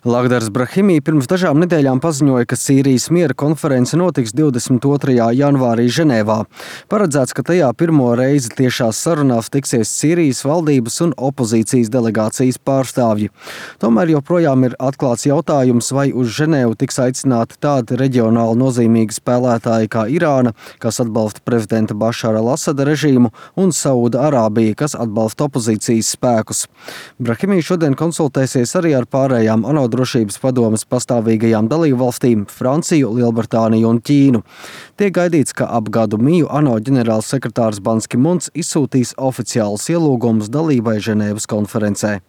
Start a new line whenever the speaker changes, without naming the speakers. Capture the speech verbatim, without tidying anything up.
Lagdars Brahimī pirms dažām nedēļām paziņoja, ka Sīrijas miera konference notiks divdesmit otrajā janvārī Ženēvā. Paredzēts, ka tajā pirmo reizi tiešās sarunās tiksies Sīrijas valdības un opozīcijas delegācijas pārstāvji. Tomēr joprojām ir atklāts jautājums, vai uz Ženēvu tiks aicināti tādi reģionāli nozīmīgi spēlētāji kā Irāna, kas atbalsta prezidenta Bašara al-Asada režīmu, un Sauda Arābija, kas atbalsta opozīcijas spēkus. Brahimī šodien konsultēsies arī ar pārējām ANO drošības padomes pastāvīgajām dalībvalstīm – Franciju, Lielbritāniju un Ķīnu. Tiek gaidīts, ka ap gadu miju ANO ģenerālsekretārs Ban Ki Muns izsūtīs oficiālus ielūgumus dalībai Ženēvas konferencē.